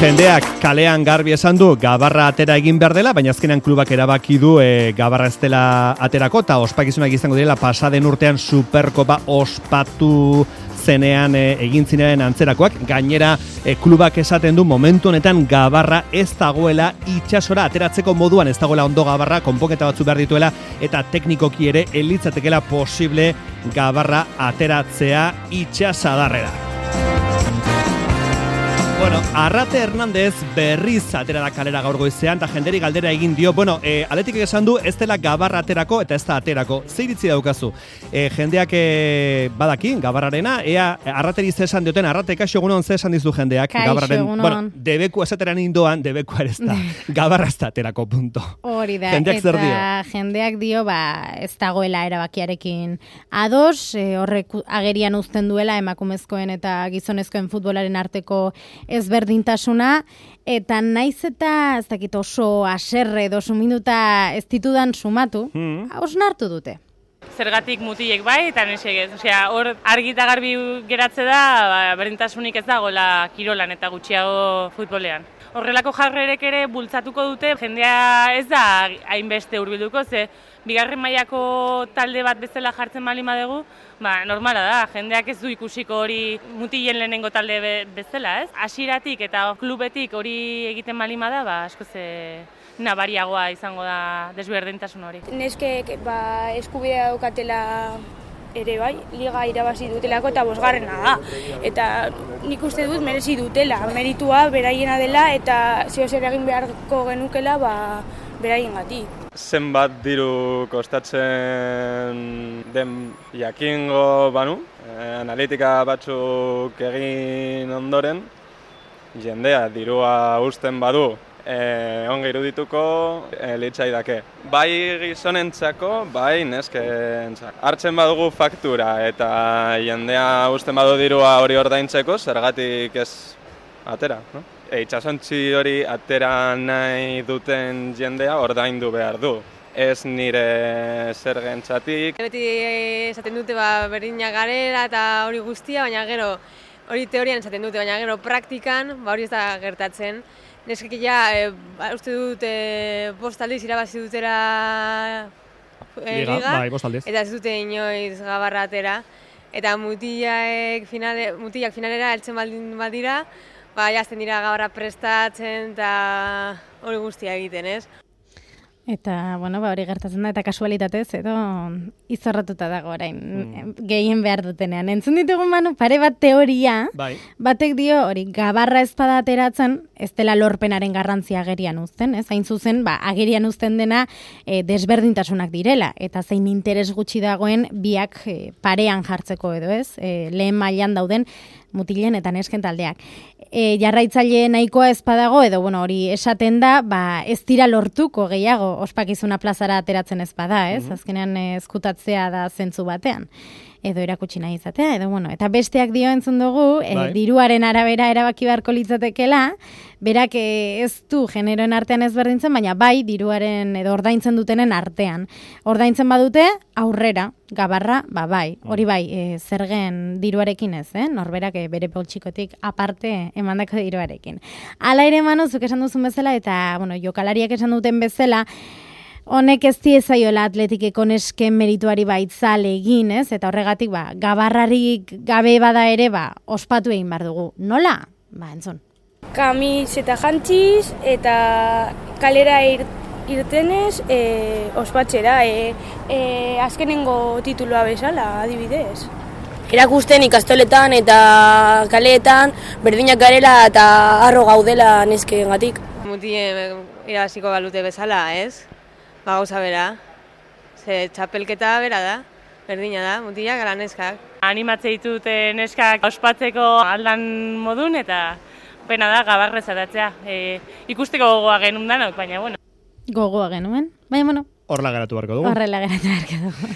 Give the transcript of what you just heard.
Jendeak kalean garbi esan du Gabarra atera egin behar dela, baina azkenean klubak erabaki du Gabarra ez dela aterako, eta ospakizunak izango direla pasaden urtean Superkopa ospatu zenean egin zinaren antzerakoak. Gainera klubak esaten du momentu honetan Gabarra ez dagoela itsasora ateratzeko moduan, ez dagoela ondo Gabarra, konponketa batzu behar dituela, eta teknikoki ere elitzatekela posible Gabarra ateratzea itsasadarrera. Bueno, Arrate Hernández berriz atera da kalera gaur goizean, eta jenderi galdera egin dio, Atletikek esan du ez dela Gabarra aterako eta ez da aterako. Zer iritzi daukazu? Jendeak badaki, Gabarrarena, ea Arrateri ze esan dioten, Arrate, kaixo egunon ze esan dizu jendeak? Kaixo egunon. Debeku esateran indoan, debeku ere ez da. Gabarra ez da aterako, punto. Hori da, jendeak zer dio? Jendeak dio, ez dagoela erabakiarekin ados, horrek agerian uzten duela emakumezkoen eta gizonezkoen futbolaren arteko ezberdintasuna, eta naiz eta ez dakit oso haserre edo suminduta ez ditudan sumatu, hausnartu dute. Zergatik mutilek bai, eta nesek ez. Osea, hor argi eta garbi geratze da, berdintasunik ez dagoela kirolan eta gutxiago futbolean. Horrelako jarrerek ere bultzatuko dute, jendea ez da hainbeste hurbilduko, ze bigarren mailako talde bat bezala jartzen baldin badugu, normala da, jendeak ez du ikusiko hori mutilen lehenengo talde bezala, ez? Hasieratik eta klubetik hori egiten baldin bada, askoz nabariagoa izango da desberdintasun hori. Neskek eskubidea daukatela ere bai, liga irabazi dutelako eta 5. da. Eta nik uste dut merezi dutela, meritua beraiena dela eta zer egin beharko genukela beraiengatik. Zenbat diru kostatzen den jakingo banu, analitika batzuk egin ondoren, jendea dirua uzten badu, ongi irudituko litzaidake. Bai gizonentzako, bai neskentzako. Hartzen badugu faktura eta jendea uzten badu dirua hori ordaintzeko, zergatik ez atera, no? Itsasontzi hori atera nahi duten jendea ordaindu behar du. Ez nire zergentzatik. Beti esaten dute berdinak garela eta hori guztia, baina gero hori teorian esaten dute, baina gero praktikan hori ez da gertatzen. Neskek uste dut 5 aldiz irabazi dutera liga, eta ez dute inoiz Gabarra atera. Eta mutilak finalera heltzen baldin badira, jazten dira Gabarra prestatzen eta hori guztia egiten, ez? Eta, hori gertatzen da, eta kasualitatez, edo izorratuta dago orain, gehien behar dutenean. Entzun ditugun pare bat teoria, batek dio, hori, Gabarra ezpada ateratzen, ez dela lorpenaren garrantzia agerian uzten, ez? Hain zuzen, agerian uzten dena desberdintasunak direla, eta zein interes gutxi dagoen biak parean jartzeko edo, ez? Lehen mailan dauden mutilen eta nesken taldeak. Jarraitzaile nahikoa ez badago, edo hori esaten da, ez dira lortuko gehiago ospakizuna plazara ateratzen ez bada, ez? Azkenean ezkutatzea da zentzu batean. Edo erakutsi nahi izatea, eta besteak dio entzun dugu, diruaren arabera erabaki beharko litzatekela, berak ez du generoen artean ezberdintzen, baina bai diruaren edo ordaintzen dutenen artean. Ordaintzen badute, aurrera, Gabarra, bai, hori bai, zergen diruarekin ez, norberak bere poltsikotik aparte emandako diruarekin. Hala ere zuk esan duzun bezala, eta jokalariak esan duten bezala, honek ez diezaiola Atletikeko nesken merituari baitzale egin, ez? Eta horregatik, Gabarrarik gabe bada ere, ospatu egin behar dugu. Nola? Entzun. Kamiseta jantziz eta kalera irtenez ospatxera, azkenengo tituloa bezala, adibidez. Erakusten ikastoletan eta kaleetan berdinak garela eta harro gaudela neskengatik. Mutien irabaziko balute bezala, ez? Gauza bera, ze txapelketa bera da, berdina da, mutilak ala neskak. Animatze ditute neskak ospatzeko aldan modun eta pena da Gabarra zaratzea. Ikusteko gogoa genuen danok, baina Gogoa genuen, baina Horrela geratu beharko dugu. Horrela geratu beharko dugu.